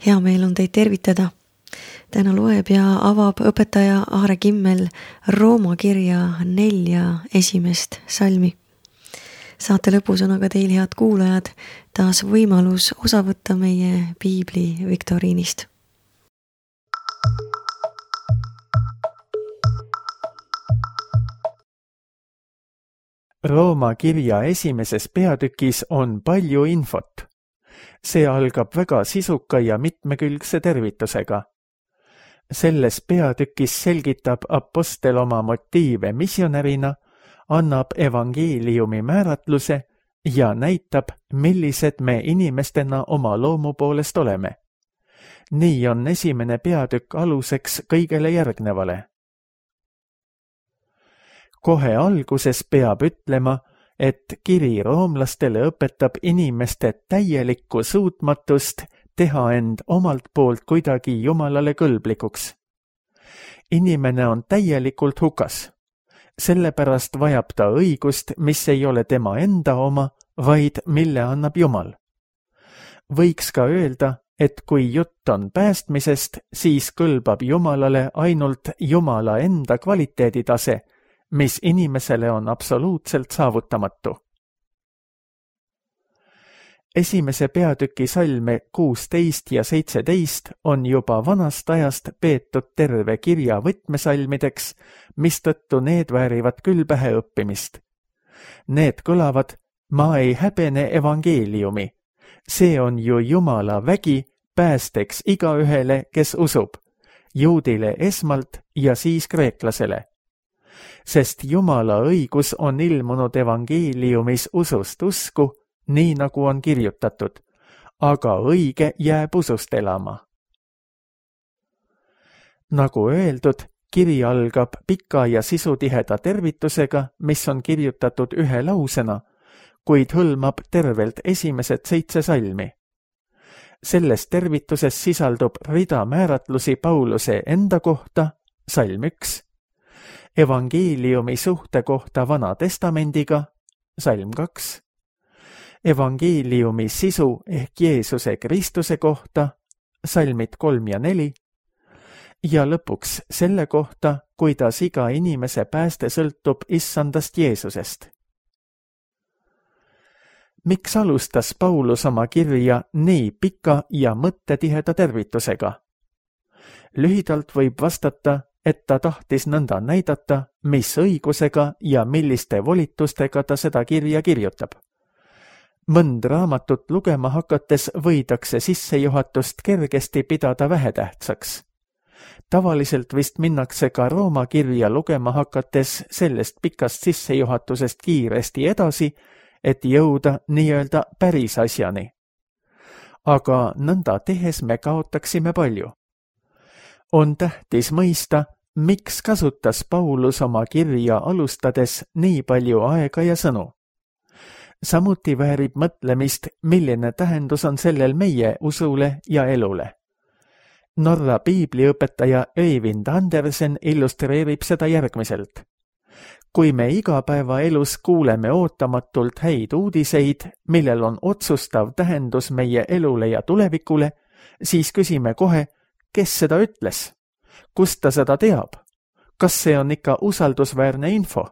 Hea meel on teid tervitada. Täna loeb ja avab õpetaja Aare Kimmel Rooma kirja 4 esimest salmi. Saate lõpus on aga teil, head kuulajad, taas võimalus osa võtta meie piibli viktoriinist. Rooma kirja esimeses peatükis on palju infot. See algab väga sisuka ja mitmekülgse tervitusega. Selles peatükis selgitab apostel oma motiive missionärina, annab evangeeliumi määratluse ja näitab, millised me inimestena oma loomu poolest oleme. Nii on esimene peatükk aluseks kõigele järgnevale. Kohe alguses peab ütlema, et kiri roomlastele õpetab inimeste täielikku suutmatust teha end omalt poolt kuidagi Jumalale kõlblikuks. Inimene on täielikult hukas. Sellepärast vajab ta õigust, mis ei ole tema enda oma, vaid mille annab Jumal. Võiks ka öelda, et kui jutt on päästmisest, siis kõlbab Jumalale ainult Jumala enda kvaliteeditase, mis inimesele on absoluutselt saavutamatu. Esimese peatüki salme 16 ja 17 on juba vanast ajast peetud terve kirja võtmesalmideks, mistõttu need väärivad küll pähe õppimist. Need kõlavad: ma ei häbene evangeeliumi. See on ju Jumala vägi päästeks igaühele, kes usub, juudile esmalt ja siis kreeklasele. Sest Jumala õigus on ilmunud evangeeliumis usust usku, nii nagu on kirjutatud, aga õige jääb usust elama. Nagu öeldud, kiri algab pika ja sisutiheda tervitusega, mis on kirjutatud ühe lausena, kuid hõlmab tervelt esimesed 7 salmi. Selles tervituses sisaldub rida määratlusi Pauluse enda kohta, salm 1, evangeeliumi suhte kohta Vana Testamendiga, salm 2, evangeeliumi sisu ehk Jeesuse Kristuse kohta, salmid 3 ja 4, ja lõpuks selle kohta, kuidas iga inimese pääste sõltub issandast Jeesusest. Miks alustas Paulus oma kirja nii pika ja mõttetiheda tervitusega? Lühidalt võib vastata, et ta tahtis nõnda näidata, mis õigusega ja milliste volitustega ta seda kirja kirjutab. Mõnd raamatut lugema hakates võidakse sissejuhatust kergesti pidada vähetähtsaks. Tavaliselt vist minnakse ka Rooma kirja lugema hakates sellest pikast sissejuhatusest kiiresti edasi, et jõuda nii-öelda päris asjani. Aga nõnda tehes me kaotaksime palju. On tähtis mõista, miks kasutas Paulus oma kirja alustades nii palju aega ja sõnu. Samuti väärib mõtlemist, milline tähendus on sellel meie usule ja elule. Norra piibliõpetaja Øyvind Andersen illustreerib seda järgmiselt. Kui me igapäevaelus kuuleme ootamatult häid uudiseid, millel on otsustav tähendus meie elule ja tulevikule, siis küsime kohe, kes seda ütles? Kust ta seda teab? Kas see on ikka usaldusväärne info?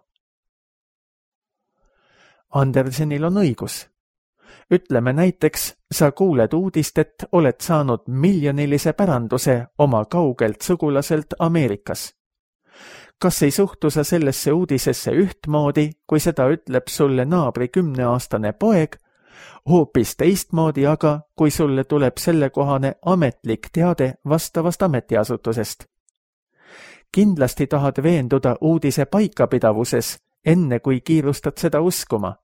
Andersenil on õigus. Ütleme näiteks, sa kuuled uudist, et oled saanud miljonilise päranduse oma kaugelt sugulaselt Ameerikas. Kas ei suhtu sa sellesse uudisesse ühtmoodi, kui seda ütleb sulle naabri 10-aastane poeg, hoopis teistmoodi aga, kui sulle tuleb sellekohane ametlik teade vastavast ametiasutusest? Kindlasti tahad veenduda uudise paikapidavuses, enne kui kiirustad seda uskuma.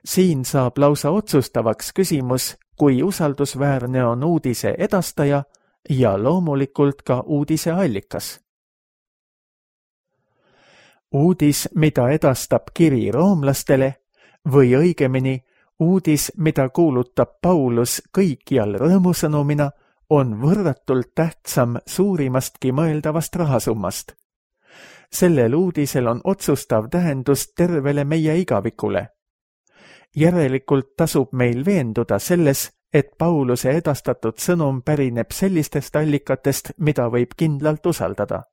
Siin saab lausa otsustavaks küsimus, kui usaldusväärne on uudise edastaja ja loomulikult ka uudise allikas. Uudis, mida edastab kiri roomlastele, või õigemini uudis, mida kuulutab Paulus kõikjal rõõmusõnumina, on võrratult tähtsam suurimastki mõeldavast rahasummast. Sellel uudisel on otsustav tähendus tervele meie igavikule. Järelikult tasub meil veenduda selles, et Pauluse edastatud sõnum pärineb sellistest allikatest, mida võib kindlalt usaldada.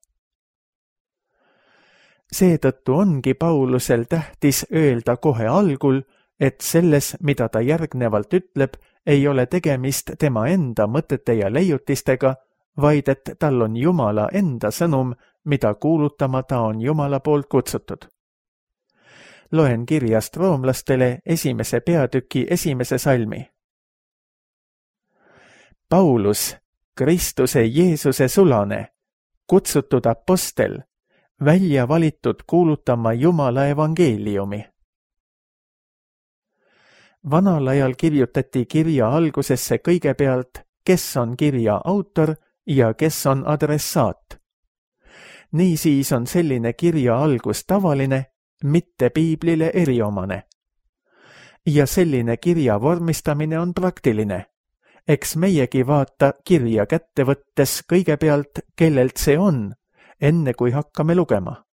Seetõttu ongi Paulusel tähtis öelda kohe algul, et selles, mida ta järgnevalt ütleb, ei ole tegemist tema enda mõtete ja leiutistega, vaid et tal on Jumala enda sõnum, mida kuulutama ta on Jumala poolt kutsutud. Loen kirjast roomlastele 1. peatüki 1. salmi. Paulus, Kristuse Jeesuse sulane, kutsutud apostel, välja valitud kuulutama Jumala evangeeliumi. Vanal ajal kirjutati kirja algusesse kõigepealt, kes on kirja autor ja kes on adressaat. Niisiis on selline kirja algus tavaline, mitte piiblile eriomane. Ja selline kirja vormistamine on praktiline. Eks meiegi vaata kirja kätte võttes kõigepealt, kellelt see on, enne kui hakkame lugema.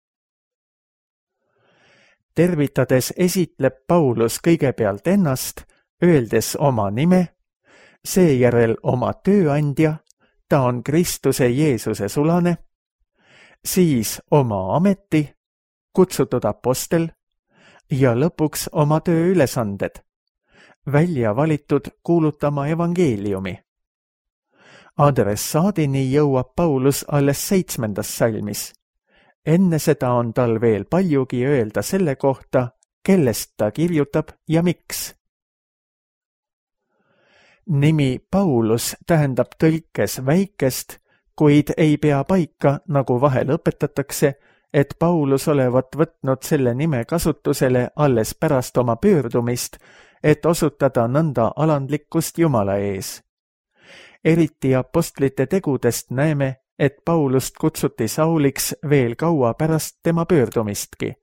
Tervitades esitleb Paulus kõigepealt ennast, öeldes oma nime, seejärel oma tööandja, ta on Kristuse Jeesuse sulane, siis oma ameti, kutsutud apostel ja lõpuks oma tööülesanded, välja valitud kuulutama evangeeliumi. Adressaadini jõuab Paulus alles 7. salmis. Enne seda on tal veel paljugi öelda selle kohta, kellest ta kirjutab ja miks. Nimi Paulus tähendab tõlkes väikest, kuid ei pea paika, nagu vahel õpetatakse, et Paulus olevat võtnud selle nime kasutusele alles pärast oma pöördumist, et osutada nõnda alandlikkust Jumala ees. Eriti apostlite tegudest näeme, et Paulust kutsuti Sauliks veel kaua pärast tema pöördumistki.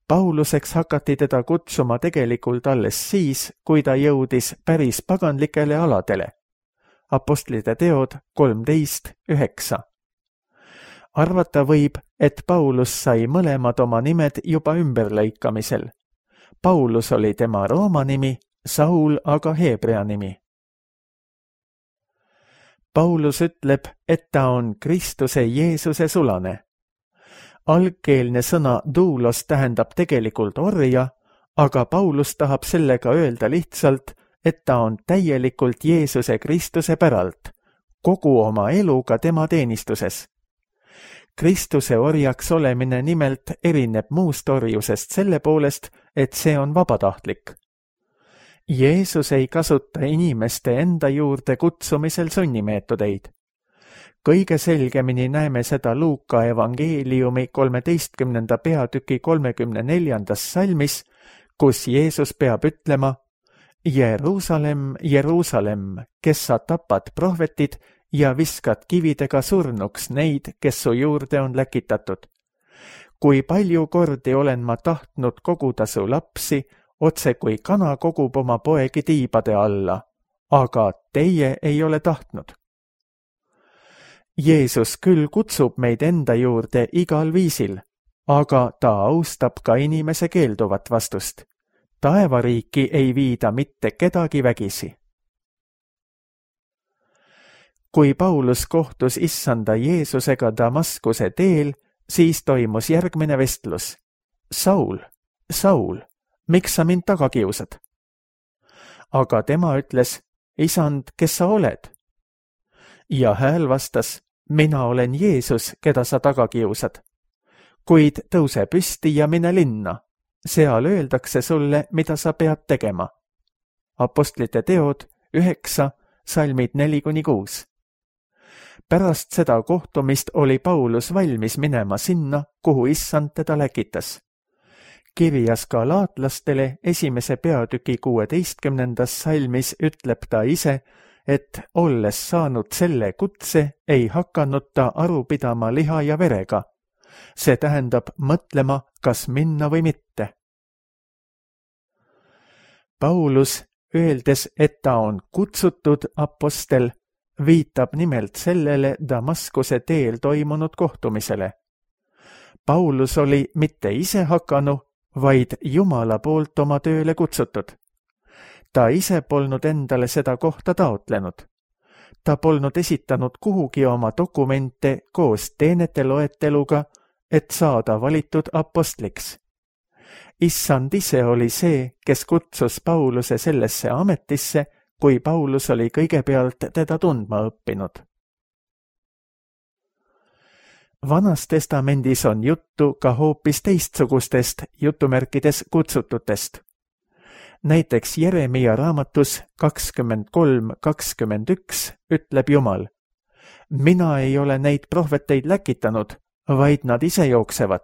Pauluseks hakati teda kutsuma tegelikult alles siis, kui ta jõudis päris paganlikele aladele. Apostlite teod 13:9. Arvata võib, et Paulus sai mõlemad oma nimed juba ümberlõikamisel. Paulus oli tema rooma nimi, Saul aga heebrea nimi. Paulus ütleb, et ta on Kristuse Jeesuse sulane. Algkeelne sõna doulos tähendab tegelikult orja, aga Paulus tahab sellega öelda lihtsalt, et ta on täielikult Jeesuse Kristuse päralt, kogu oma eluga tema teenistuses. Kristuse orjaks olemine nimelt erineb muust orjusest selle poolest, et see on vabatahtlik. Jeesus ei kasuta inimeste enda juurde kutsumisel sunnimeetodeid. Kõige selgemini näeme seda Luuka evangeeliumi 13. peatüki 34. salmis, kus Jeesus peab ütlema: Jeruusalemm, Jeruusalemm, kes sa tapad prohvetid ja viskad kividega surnuks neid, kes su juurde on läkitatud. Kui palju kordi olen ma tahtnud koguda su lapsi, otse kui kana kogub oma poegi tiibade alla, aga teie ei ole tahtnud. Jeesus küll kutsub meid enda juurde igal viisil, aga ta austab ka inimese keelduvat vastust. Taevariiki ei viida mitte kedagi vägisi. Kui Paulus kohtus issanda Jeesusega Damaskuse teel, siis toimus järgmine vestlus. Saul, Saul, miks sa mind taga kiusad? Aga tema ütles, isand, kes sa oled? Ja hääl vastas, mina olen Jeesus, keda sa taga kiusad. Kuid tõuse püsti ja mine linna. Seal öeldakse sulle, mida sa pead tegema. Apostlite teod 9, salmid 4-6. Pärast seda kohtumist oli Paulus valmis minema sinna, kuhu issand teda läkitas. Kirjas galaatlastele 1. peatüki 16. salmis ütleb ta ise, et olles saanud selle kutse, ei hakanud ta aru pidama liha ja verega. See tähendab mõtlema, kas minna või mitte. Paulus, öeldes, et ta on kutsutud apostel, viitab nimelt sellele Damaskuse teel toimunud kohtumisele. Paulus oli mitte ise hakanu, vaid Jumala poolt oma tööle kutsutud. Ta ise polnud endale seda kohta taotlenud. Ta polnud esitanud kuhugi oma dokumente koos teenete loeteluga, et saada valitud apostliks. Issand ise oli see, kes kutsus Pauluse sellesse ametisse, kui Paulus oli kõigepealt teda tundma õppinud. Vanas testamendis on juttu ka hoopis teistsugustest jutumärkides kutsututest. Näiteks Jeremia raamatus 23:21 ütleb Jumal: mina ei ole neid prohveteid läkitanud, vaid nad ise jooksevad.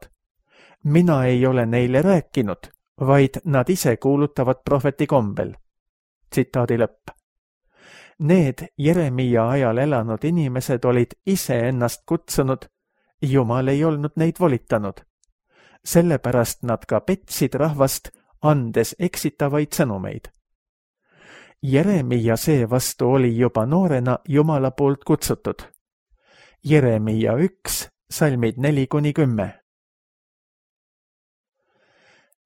Mina ei ole neile rääkinud, vaid nad ise kuulutavad prohveti kombel. Tsitaadi lõpp. Need Jeremia ajal elanud inimesed olid ise ennast kutsunud, Jumal ei olnud neid volitanud. Sellepärast nad ka petsid rahvast, andes eksitavaid sõnumeid. Jeremia seevastu oli juba noorena Jumala poolt kutsutud. Jeremia 1, salmid 4-10.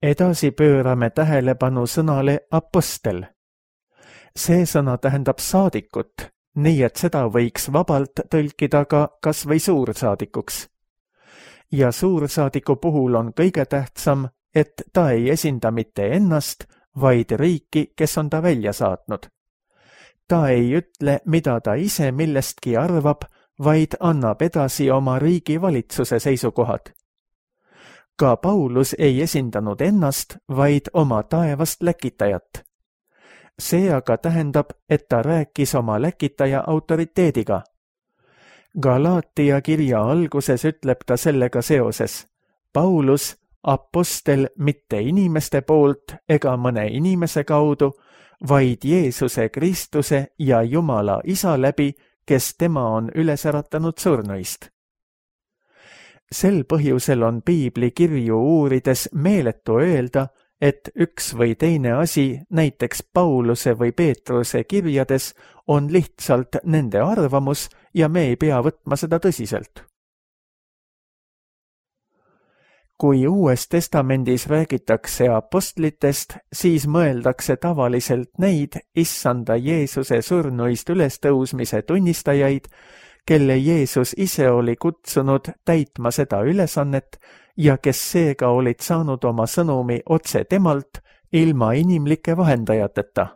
Edasi pöörame tähelepanu sõnale apostel. See sõna tähendab saadikut, nii et seda võiks vabalt tõlkida ka kas või suursaadikuks. Ja suursaadiku puhul on kõige tähtsam, et ta ei esinda mitte ennast, vaid riiki, kes on ta välja saatnud. Ta ei ütle, mida ta ise millestki arvab, vaid annab edasi oma riigi valitsuse seisukohad. Ka Paulus ei esindanud ennast, vaid oma taevast läkitajat. See aga tähendab, et ta rääkis oma läkitaja autoriteediga. Galaatia kirja alguses ütleb ta sellega seoses: Paulus, apostel mitte inimeste poolt ega mõne inimese kaudu, vaid Jeesuse Kristuse ja Jumala Isa läbi, kes tema on üles äratanud surnuist. Sel põhjusel on piibli kirju uurides meeletu öelda, et üks või teine asi, näiteks Pauluse või Peetruse kirjades, on lihtsalt nende arvamus ja me ei pea võtma seda tõsiselt. Kui Uues Testamendis räägitakse apostlitest, siis mõeldakse tavaliselt neid issanda Jeesuse surnuist ülestõusmise tunnistajaid, kelle Jeesus ise oli kutsunud täitma seda ülesannet ja kes seega olid saanud oma sõnumi otse temalt ilma inimlike vahendajateta.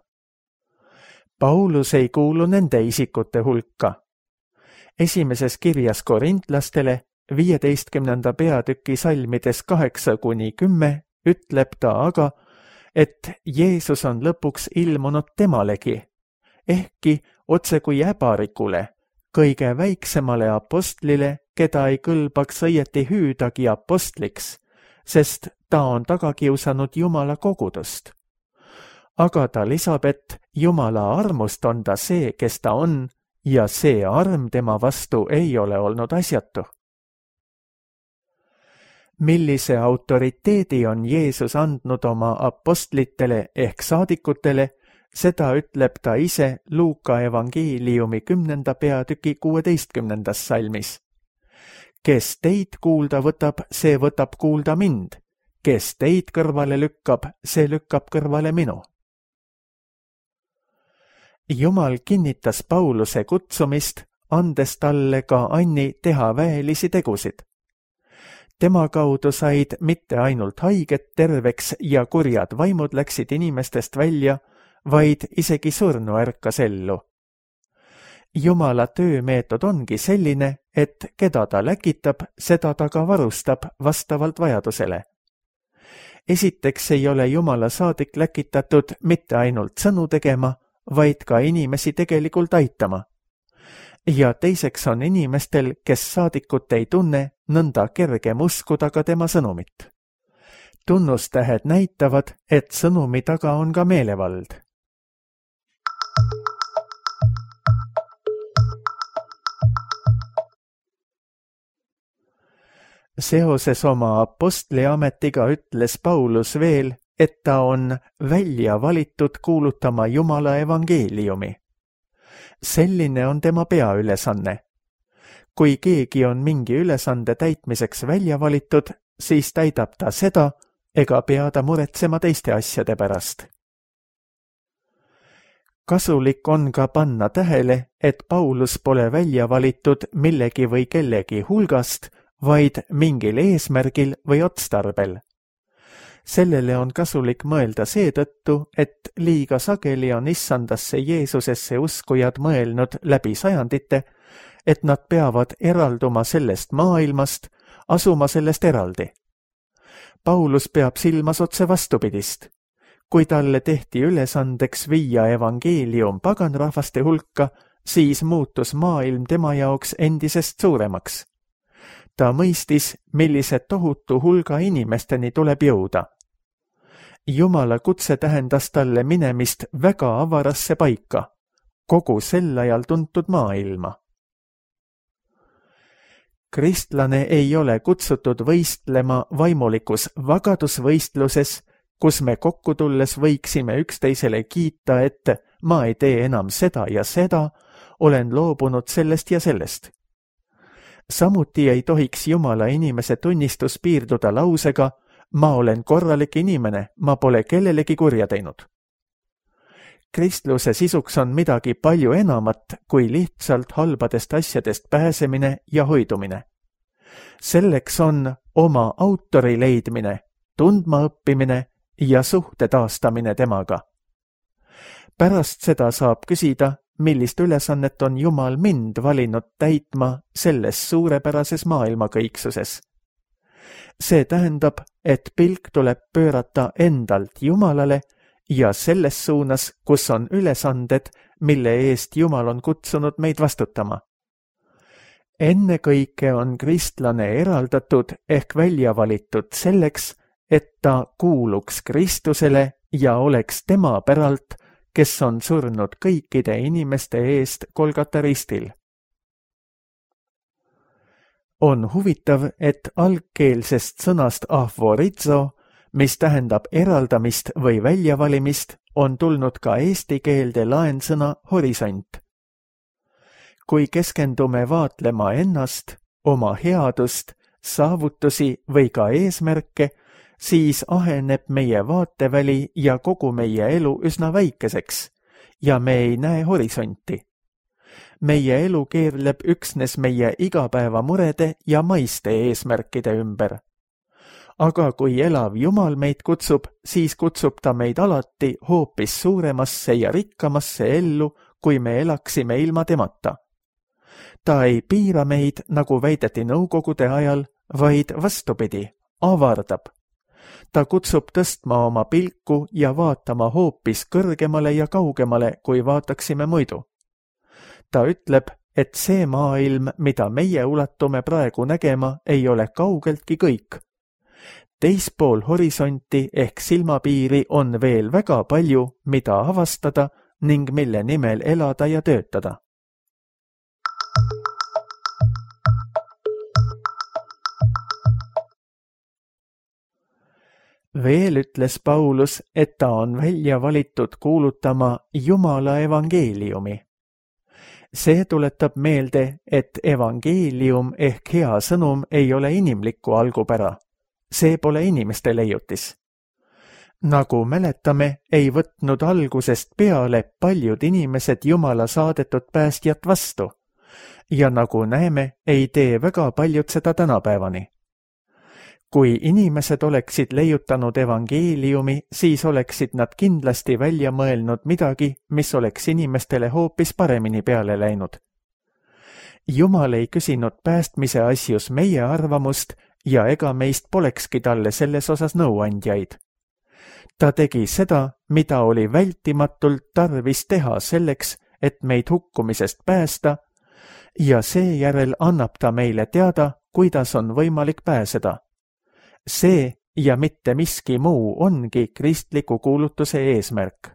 Paulus ei kuulu nende isikute hulka. Esimeses kirjas korintlastele 15. peatüki salmides 8-10 ütleb ta aga, et Jeesus on lõpuks ilmunud temalegi, ehkki otse kui äbarikule, kõige väiksemale apostlile, keda ei kõlbaks õieti hüüdagi apostliks, sest ta on taga kiusanud Jumala kogudust. Aga ta lisab, et Jumala armust on ta see, kes ta on, ja see arm tema vastu ei ole olnud asjatu. Millise autoriteedi on Jeesus andnud oma apostlitele ehk saadikutele, seda ütleb ta ise Luuka evangeeliumi 10. peatüki 16. salmis. Kes teid kuulda võtab, see võtab kuulda mind. Kes teid kõrvale lükkab, see lükkab kõrvale minu. Jumal kinnitas Pauluse kutsumist, andes talle ka anni teha väelisi tegusid. Tema kaudu said mitte ainult haiged terveks ja kurjad vaimud läksid inimestest välja, vaid isegi surnu ärkas ellu. Jumala töömeetod ongi selline, et keda ta läkitab, seda ta ka varustab vastavalt vajadusele. Esiteks ei ole Jumala saadik läkitatud mitte ainult sõnu tegema, vaid ka inimesi tegelikult aitama. Ja teiseks on inimestel, kes saadikut ei tunne, nõnda kergem uskuda ka tema sõnumit. Tunnustähed näitavad, et sõnumi taga on ka meelevald. Seoses oma apostliametiga ütles Paulus veel, et ta on välja valitud kuulutama Jumala evangeeliumi. Selline on tema peaülesanne. Kui keegi on mingi ülesande täitmiseks välja valitud, siis täidab ta seda ega pea ta muretsema teiste asjade pärast. Kasulik on ka panna tähele, et Paulus pole välja valitud millegi või kellegi hulgast, vaid mingil eesmärgil või otstarbel. Sellele on kasulik mõelda seetõttu, et liiga sageli on issandasse Jeesusesse uskujad mõelnud läbi sajandite, et nad peavad eralduma sellest maailmast, asuma sellest eraldi. Paulus peab silmas otse vastupidist. Kui talle tehti ülesandeks viia evangeelium paganrahvaste hulka, siis muutus maailm tema jaoks endisest suuremaks. Ta mõistis, millise tohutu hulga inimesteni tuleb jõuda. Jumala kutse tähendas talle minemist väga avarasse paika, kogu sel ajal tuntud maailma. Kristlane ei ole kutsutud võistlema vaimulikus vagadusvõistluses, kus me kokku tulles võiksime üksteisele kiita, et ma ei tee enam seda ja seda, olen loobunud sellest ja sellest. Samuti ei tohiks Jumala inimese tunnistus piirduda lausega, ma olen korralik inimene, ma pole kellelegi kurja teinud. Kristluse sisuks on midagi palju enamat kui lihtsalt halbadest asjadest pääsemine ja hoidumine. Selleks on oma autori leidmine, tundma õppimine ja suhte taastamine temaga. Pärast seda saab küsida, millist ülesannet on Jumal mind valinud täitma selles suurepärases maailmakõiksuses. See tähendab, et pilk tuleb pöörata endalt Jumalale ja selles suunas, kus on ülesanded, mille eest Jumal on kutsunud meid vastutama. Ennekõike on kristlane eraldatud ehk välja valitud selleks, et ta kuuluks Kristusele ja oleks tema päralt, kes on surnud kõikide inimeste eest Golgata ristil. On huvitav, et algkeelsest sõnast ahvorizo, mis tähendab eraldamist või väljavalimist, on tulnud ka eesti keelde laensõna horisont. Kui keskendume vaatlema ennast, oma headust, saavutusi või ka eesmärke, siis aheneb meie vaateväli ja kogu meie elu üsna väikeseks ja me ei näe horisonti. Meie elu keerleb üksnes meie igapäevamurede ja maiste eesmärkide ümber. Aga kui elav Jumal meid kutsub, siis kutsub ta meid alati hoopis suuremasse ja rikkamasse ellu, kui me elaksime ilma temata. Ta ei piira meid, nagu väideti nõukogude ajal, vaid vastupidi, avardab. Ta kutsub tõstma oma pilku ja vaatama hoopis kõrgemale ja kaugemale, kui vaataksime muidu. Ta ütleb, et see maailm, mida meie ulatume praegu nägema, ei ole kaugeltki kõik. Teispool horisonti ehk silmapiiri on veel väga palju, mida avastada ning mille nimel elada ja töötada. Veel ütles Paulus, et ta on välja valitud kuulutama Jumala evangeeliumi. See tuletab meelde, et evangeelium ehk hea sõnum ei ole inimliku algupära. See pole inimeste leiutis. Nagu mäletame, ei võtnud algusest peale paljud inimesed Jumala saadetud päästjat vastu. Ja nagu näeme, ei tee väga paljud seda tänapäevani. Kui inimesed oleksid leiutanud evangeeliumi, siis oleksid nad kindlasti välja mõelnud midagi, mis oleks inimestele hoopis paremini peale läinud. Jumal ei küsinud päästmise asjus meie arvamust ja ega meist polekski talle selles osas nõuandjaid. Ta tegi seda, mida oli vältimatult tarvis teha selleks, et meid hukkumisest päästa, ja seejärel annab ta meile teada, kuidas on võimalik pääseda. See ja mitte miski muu ongi kristliku kuulutuse eesmärk.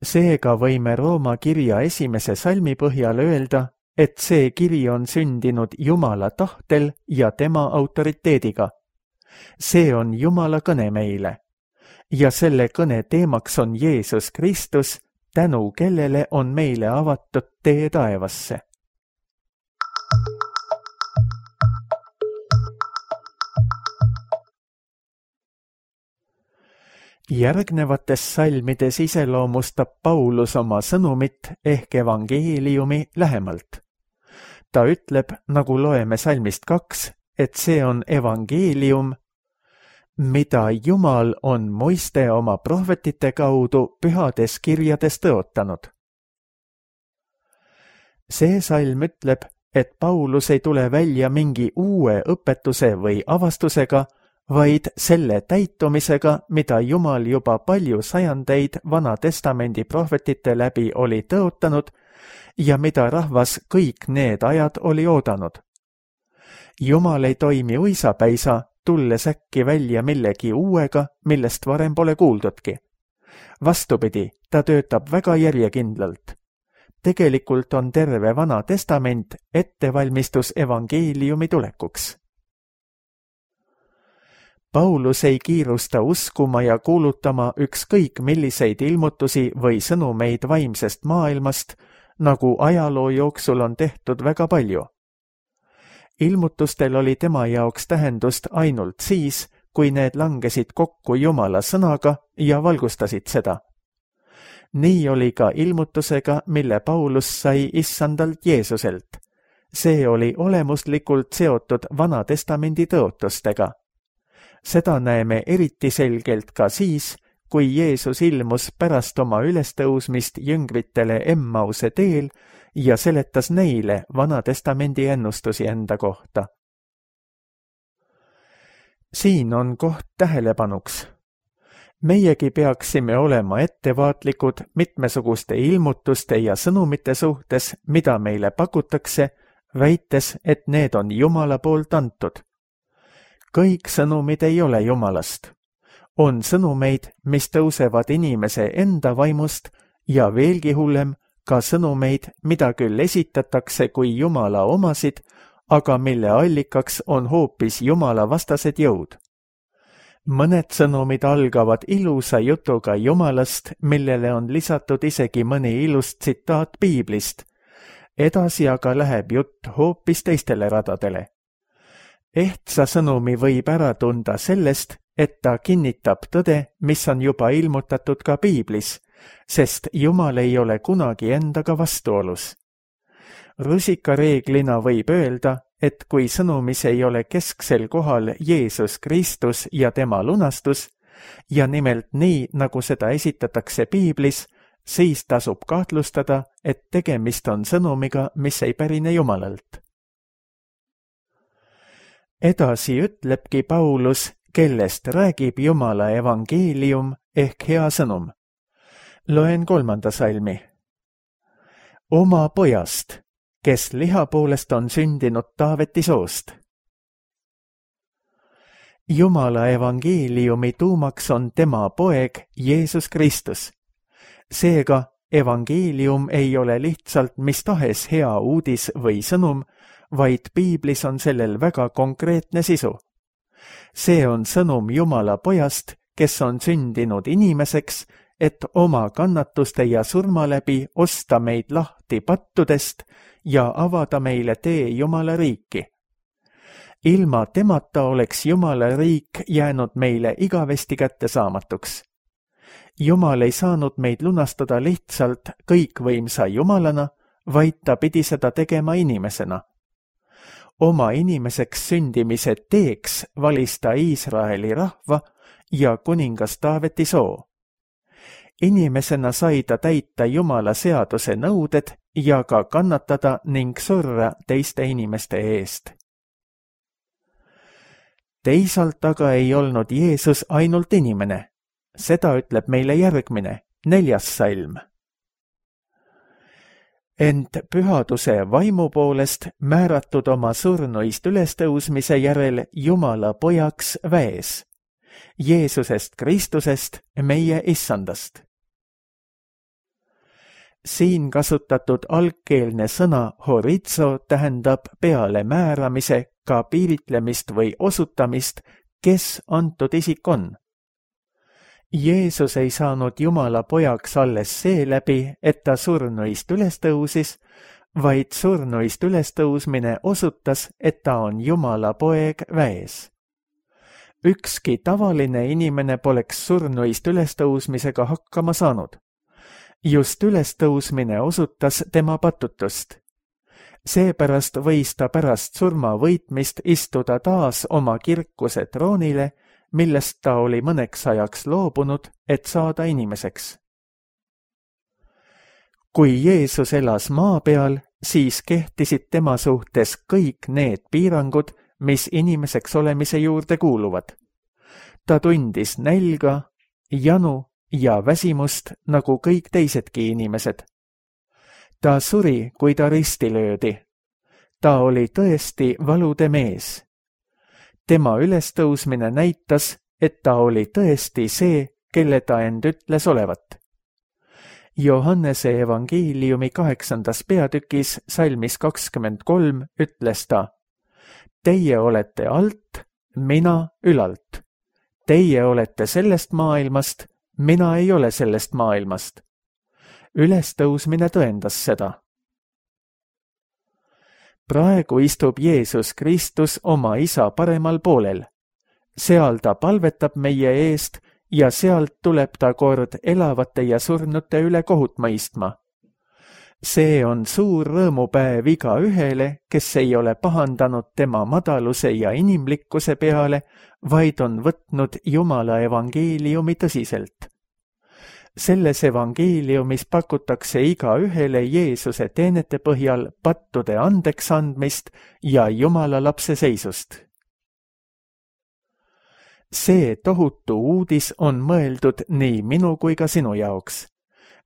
Seega võime Rooma kirja 1. salmi põhjal öelda, et see kiri on sündinud Jumala tahtel ja tema autoriteediga. See on Jumala kõne meile. Ja selle kõne teemaks on Jeesus Kristus, tänu kellele on meile avatud tee taevasse. Järgnevates salmides iseloomustab Paulus oma sõnumit ehk evangeeliumi lähemalt. Ta ütleb, nagu loeme salmist 2, et see on evangeelium, mida Jumal on Moiste oma prohvetite kaudu pühades kirjades tõotanud. See salm ütleb, et Paulus ei tule välja mingi uue õpetuse või avastusega, vaid selle täitumisega, mida Jumal juba palju sajandeid Vana Testamendi prohvetite läbi oli tõotanud ja mida rahvas kõik need ajad oli oodanud. Jumal ei toimi uisapäisa, tulles äkki välja millegi uuega, millest varem pole kuuldudki. Vastupidi, ta töötab väga järjekindlalt. Tegelikult on terve Vana Testament ettevalmistus evangeeliumi tulekuks. Paulus ei kiirusta uskuma ja kuulutama ükskõik milliseid ilmutusi või sõnumeid vaimsest maailmast, nagu ajaloo jooksul on tehtud väga palju. Ilmutustel oli tema jaoks tähendust ainult siis, kui need langesid kokku Jumala sõnaga ja valgustasid seda. Nii oli ka ilmutusega, mille Paulus sai issandalt Jeesuselt. See oli olemuslikult seotud Vana Testamendi tõotustega. Seda näeme eriti selgelt ka siis, kui Jeesus ilmus pärast oma ülestõusmist jüngritele Emmause teel ja seletas neile Vana Testamendi ennustusi enda kohta. Siin on koht tähelepanuks. Meiegi peaksime olema ettevaatlikud mitmesuguste ilmutuste ja sõnumite suhtes, mida meile pakutakse, väites, et need on Jumala poolt antud. Kõik sõnumid ei ole Jumalast. On sõnumeid, mis tõusevad inimese enda vaimust ja veelgi hullem, ka sõnumeid, mida küll esitatakse kui Jumala omasid, aga mille allikaks on hoopis Jumala vastased jõud. Mõned sõnumid algavad ilusa jutuga Jumalast, millele on lisatud isegi mõni ilus tsitaat Piiblist. Edasi aga läheb jutt hoopis teistele radadele. Ehtsa sõnumi võib ära tunda sellest, et ta kinnitab tõde, mis on juba ilmutatud ka Piiblis, sest Jumal ei ole kunagi endaga vastuolus. Rusikareeglina võib öelda, et kui sõnumis ei ole kesksel kohal Jeesus Kristus ja tema lunastus, ja nimelt nii, nagu seda esitatakse Piiblis, siis tasub kahtlustada, et tegemist on sõnumiga, mis ei pärine Jumalalt. Edasi ütlebki Paulus, kellest räägib Jumala evangeelium ehk hea sõnum. Loen 3. salmi. Oma pojast, kes liha poolest on sündinud Taaveti soost. Jumala evangeeliumi tuumaks on tema poeg Jeesus Kristus. Seega, evangeelium ei ole lihtsalt mis tahes hea uudis või sõnum, vaid Piiblis on sellel väga konkreetne sisu. See on sõnum Jumala pojast, kes on sündinud inimeseks, et oma kannatuste ja surma läbi osta meid lahti pattudest ja avada meile tee Jumala riiki. Ilma temata oleks Jumala riik jäänud meile igavesti kättesaamatuks. Jumal ei saanud meid lunastada lihtsalt kõikvõimsa Jumalana, vaid ta pidi seda tegema inimesena. Oma inimeseks sündimise teeks valis ta Iisraeli rahva ja kuningas Taaveti soo. Inimesena sai ta täita Jumala seaduse nõuded ja ka kannatada ning surra teiste inimeste eest. Teisalt aga ei olnud Jeesus ainult inimene. Seda ütleb meile järgmine, 4. salm. Ent pühaduse vaimu poolest määratud oma surnuist ülestõusmise järel Jumala pojaks väes, Jeesusest Kristusest, meie issandast. Siin kasutatud algkeelne sõna horizo tähendab peale määramise, ka piiritlemist või osutamist, kes antud isik on. Jeesus ei saanud Jumala pojaks alles seeläbi, et ta surnuist ülestõusis, vaid surnuist ülestõusmine osutas, et ta on Jumala poeg väes. ükski tavaline inimene poleks surnuist ülestõusmisega hakkama saanud. Just ülestõusmine osutas tema patutust. Seepärast võis ta pärast surma võitmist istuda taas oma kirkuse troonile, millest ta oli mõneks ajaks loobunud, et saada inimeseks. Kui Jeesus elas maa peal, siis kehtisid tema suhtes kõik need piirangud, mis inimeseks olemise juurde kuuluvad. Ta tundis nälga, janu ja väsimust nagu kõik teisedki inimesed. Ta suri, kui ta risti löödi. Ta oli tõesti valude mees. Tema ülestõusmine näitas, et ta oli tõesti see, kelle ta end ütles olevat. Johannese evangeeliumi 8. peatükis salmis 23 ütles ta: Teie olete alt, mina ülalt. Teie olete sellest maailmast, mina ei ole sellest maailmast. Ülestõusmine tõendas seda. Praegu istub Jeesus Kristus oma isa paremal poolel. Seal ta palvetab meie eest ja sealt tuleb ta kord elavate ja surnute üle kohut mõistma. See on suur rõõmupäev igaühele, kes ei ole pahandanud tema madaluse ja inimlikkuse peale, vaid on võtnud Jumala evangeeliumi tõsiselt. Selles evangeeliumis pakutakse igaühele Jeesuse teenete põhjal pattude andeks andmist ja Jumala lapse seisust. See tohutu uudis on mõeldud nii minu kui ka sinu jaoks.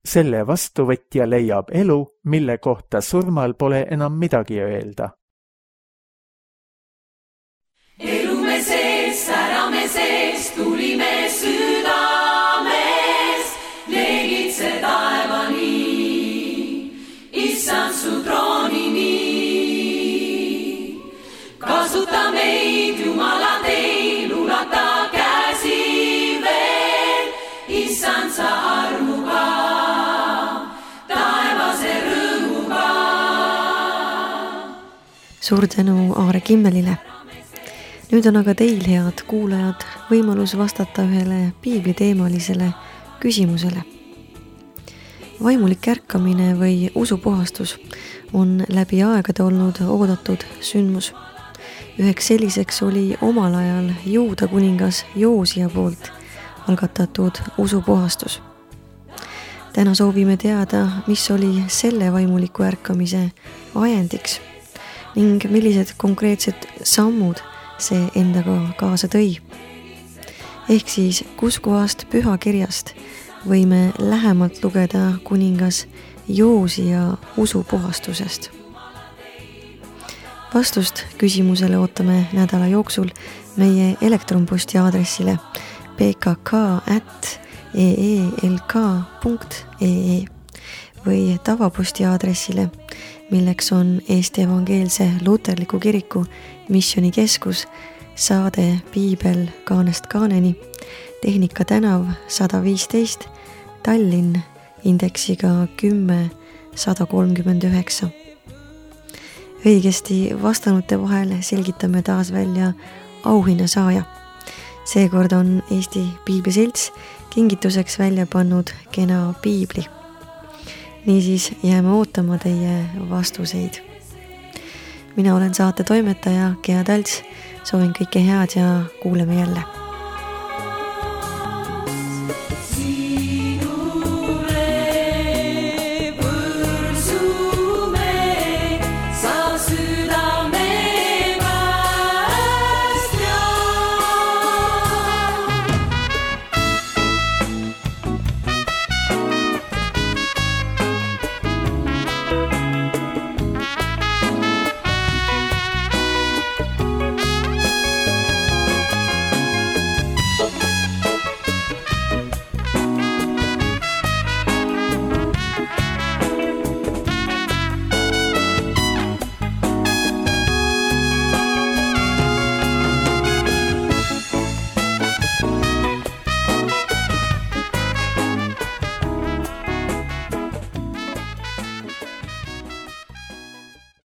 Selle vastuvõtja leiab elu, mille kohta surmal pole enam midagi öelda. Elume sees, särame sees, tulime südames, leegitse taevani, issand su troonini. Kasuta meid, Jumala teil, ulata käsi veel, issand sa armuga, taevase rõõmuga. Suur tänu Aare Kimmelile. Nüüd on aga teil, head kuulajad, võimalus vastata ühele piibliteemalisele küsimusele. Vaimulik ärkamine või usupuhastus on läbi aegade olnud oodatud sündmus. Üheks selliseks oli omal ajal Juuda kuningas Joosia poolt algatatud usupuhastus. Täna soovime teada, mis oli selle vaimuliku ärkamise ajendiks ning millised konkreetsed sammud see endaga kaasa tõi. Ehk siis, kus kohast pühakirjast võime lähemalt lugeda kuningas Joosia usupuhastusest. Vastust küsimusele ootame nädala jooksul meie elektronposti aadressile pkk@eelk.ee või tavaposti aadressile, milleks on Eesti Evangeelse Luterliku Kiriku Missioonikeskus, saade Piibel kaanest kaaneni, Tehnika tänav 115, Tallinn, indeksiga 10139. Õigesti vastanute vahel selgitame taas välja auhinnasaaja. Seekord on Eesti Piibliselts kingituseks välja pannud kena piibli. Niisiis jääme ootama teie vastuseid. Mina olen saate toimetaja Gea Talts, soovin kõike head ja kuuleme jälle.